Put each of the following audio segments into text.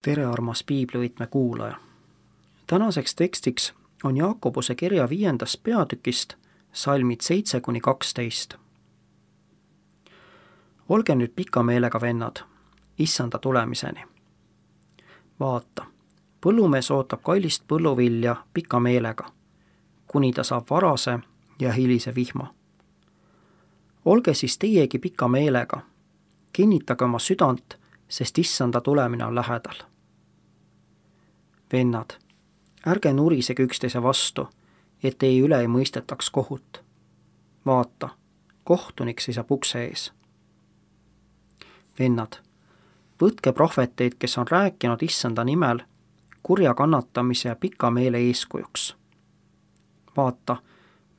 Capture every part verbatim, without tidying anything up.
tere, armas piiblivõtme kuulaja! Tänaseks tekstiks on Jaakobuse kirja viiendast peatükist salmid seitse kuni kaksteist. Olge nüüd pika meelega, vennad, issanda tulemiseni. Vaata, põllumees ootab kallist põlluvilja pika meelega, kuni ta saab varase ja hilise vihma. Olge siis teiegi pika meelega, kinnitage oma südant, sest issanda tulemine on lähedal. Vennad, ärge nurisege üksteise vastu, et teie üle ei mõistetaks kohut. Vaata, kohtunik seisab ukse ees. Vennad, võtke prohveteid, kes on rääkinud issanda nimel, kurja kannatamise ja pika meele eeskujuks. Vaata,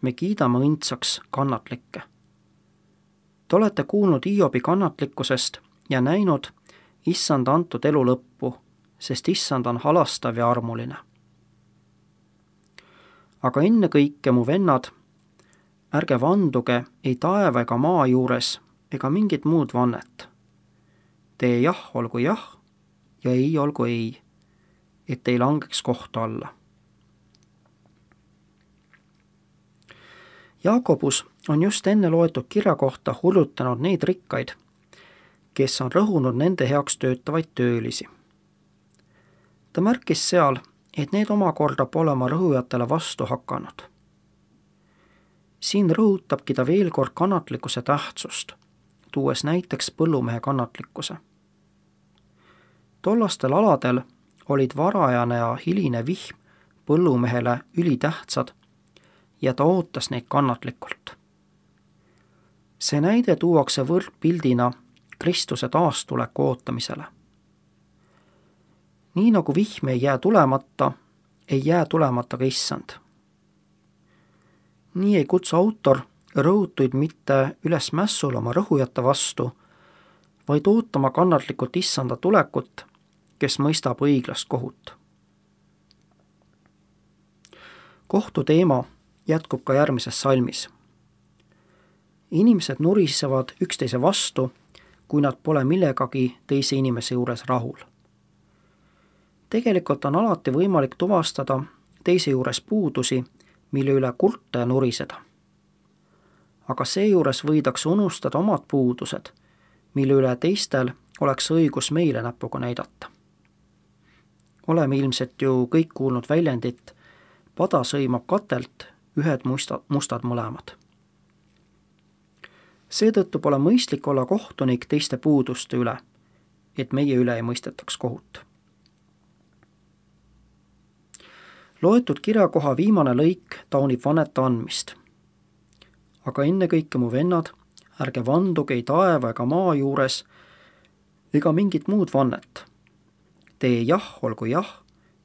me kiidame õndsaks kannatlikke. Te olete kuulnud Hiobi kannatlikkusest ja näinud issanda antud elu lõppu, sest issand on halastav ja armuline. Aga enne kõike, mu vennad, ärge vanduge ei taeva ega maa juures ega mingit muud vannet. Tee jah olgu jah ja ei olgu ei, et ei langeks kohtu alla. Jaakobus on just enne loetud kirja kohta hullutanud neid rikkaid, kes on rõhunud nende heaks töötavaid töölisi. Ta märkis seal, et need omakorda pole oma rõhujatele vastu hakanud. Siin rõhutabki ta veel kord kannatlikkuse tähtsust, tuues näiteks põllumehe kannatlikkuse. Tollastel aladel olid varajane ja hiline vihm põllumehele ülitähtsad ja ta ootas neid kannatlikult. See näide tuuakse võrdpildina Kristuse taastuleku ootamisele. Nii nagu vihm ei jää tulemata, ei jää tulemata ka issand. Nii ei kutsu autor rõhutuid mitte üles mässul oma rõhujate vastu, vaid ootama kannatlikult issanda tulekut, kes mõistab õiglast kohut. Kohtu teema jätkub ka järgmises salmis. Inimesed nurisevad üksteise vastu, kui nad pole millegagi teise inimese juures rahul. Tegelikult on alati võimalik tuvastada teise juures puudusi, mille üle kurta ja nuriseda. Aga seejuures võidakse unustada omad puudused, mille üle teistel oleks õigus meile näpuga näidata. Oleme ilmselt ju kõik kuulnud väljendit, pada sõimab katelt, ühed mustad, mustad mõlemad. Seetõttu pole mõistlik olla kohtunik teiste puuduste üle, et meie üle ei mõistetaks kohut. Loetud kirjakoha viimane lõik taunib vannete andmist. Aga ennekõike, mu vennad, ärge vanduge ei taeva ega maa juures ega mingit muud vannet. Tee jah olgu jah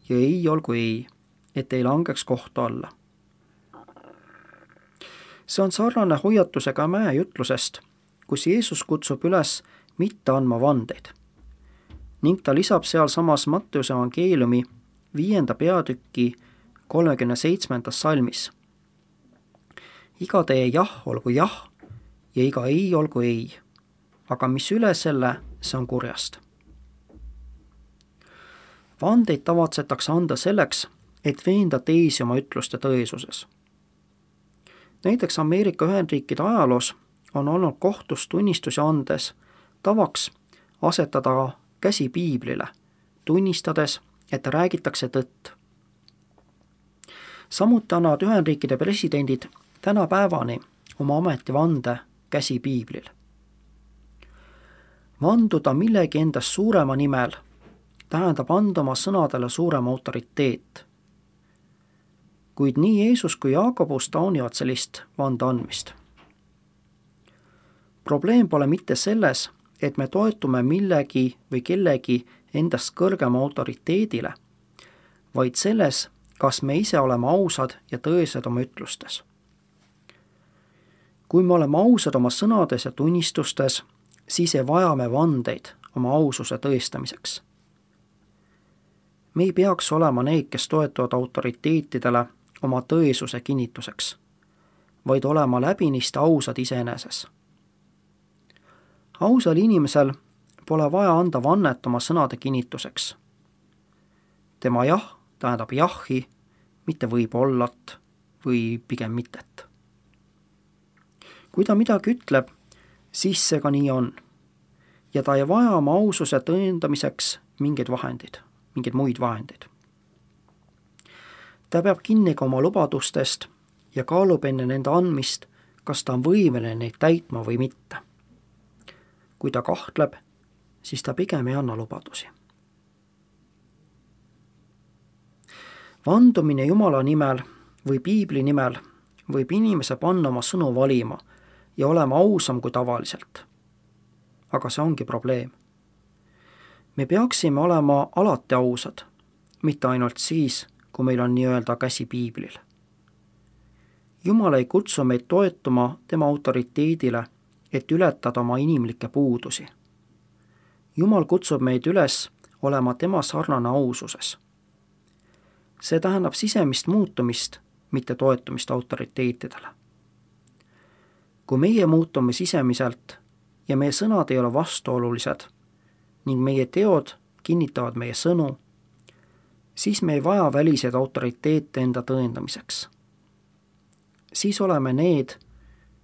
ja ei olgu ei, et ei langeks kohtu alla. See on sarnane hoiatusega mäejutlusest, kus Jeesus kutsub üles mitte andma vandeid. Ning ta lisab seal samas Matteuse evangeeliumi viienda peatüki kolmekümne seitsmendas salmis. Iga tee jah olgu jah ja iga ei olgu ei, aga mis üle selle, see on kurjast. Vandeid tavatsetakse anda selleks, et veenda teisi oma ütluste tõesuses. Näiteks Ameerika Ühendriikide ajaloos on olnud kohtus tunnistusi andes tavaks asetada käsi piiblile, tunnistades, et räägitakse tõtt. Samuti annavad Ühendriikide presidendid tänapäevani oma ametivande käsi piiblil. Vanduda millegi endast suurema nimel tähendab anda oma sõnadele suurema autoriteet. Kuid nii Jeesus kui Jaakobus taunivad sellist vande andmist. Probleem pole mitte selles, et me toetume millegi või kellegi endast kõrgema autoriteedile, vaid selles, kas me ise oleme ausad ja tõesed oma ütlustes. Kui me oleme ausad oma sõnades ja tunnistustes, siis ei vaja me vandeid oma aususe tõestamiseks. Me ei peaks olema need, kes toetuvad autoriteetidele oma tõesuse kinnituseks, vaid olema läbinisti ausad iseeneses. Ausal inimesel pole vaja anda vannet oma sõnade kinnituseks, tema jah tähendab jahhi, mitte võib-ollat või pigem mittet. kui ta midagi ütleb, siis see ka nii on. Ja ta ei vaja oma aususe tõendamiseks mingeid vahendid, mingeid muid vahendeid. Ta peab kinni ka oma lubadustest ja kaalub enne nende andmist, kas ta on võimeline neid täitma või mitte. kui ta kahtleb, siis ta pigem ei anna lubadusi. Vandumine Jumala nimel või piibli nimel võib inimese panna oma sõnu valima ja olema ausam kui tavaliselt. Aga see ongi probleem. Me peaksime olema alati ausad, mitte ainult siis, kui meil on nii-öelda käsi piiblil. Jumal ei kutsu meid toetuma tema autoriteedile, et ületada oma inimlikke puudusi. Jumal kutsub meid üles olema tema sarnane aususes. See tähendab sisemist muutumist, mitte toetumist autoriteetidele. Kui meie muutume sisemiselt ja meie sõnad ei ole vastuolulised ning meie teod kinnitavad meie sõnu, siis me ei vaja väliseid autoriteete enda tõendamiseks. Siis oleme need,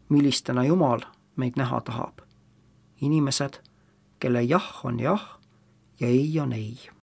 millistena Jumal meid näha tahab. Inimesed, kelle jah on jah ja ei on ei.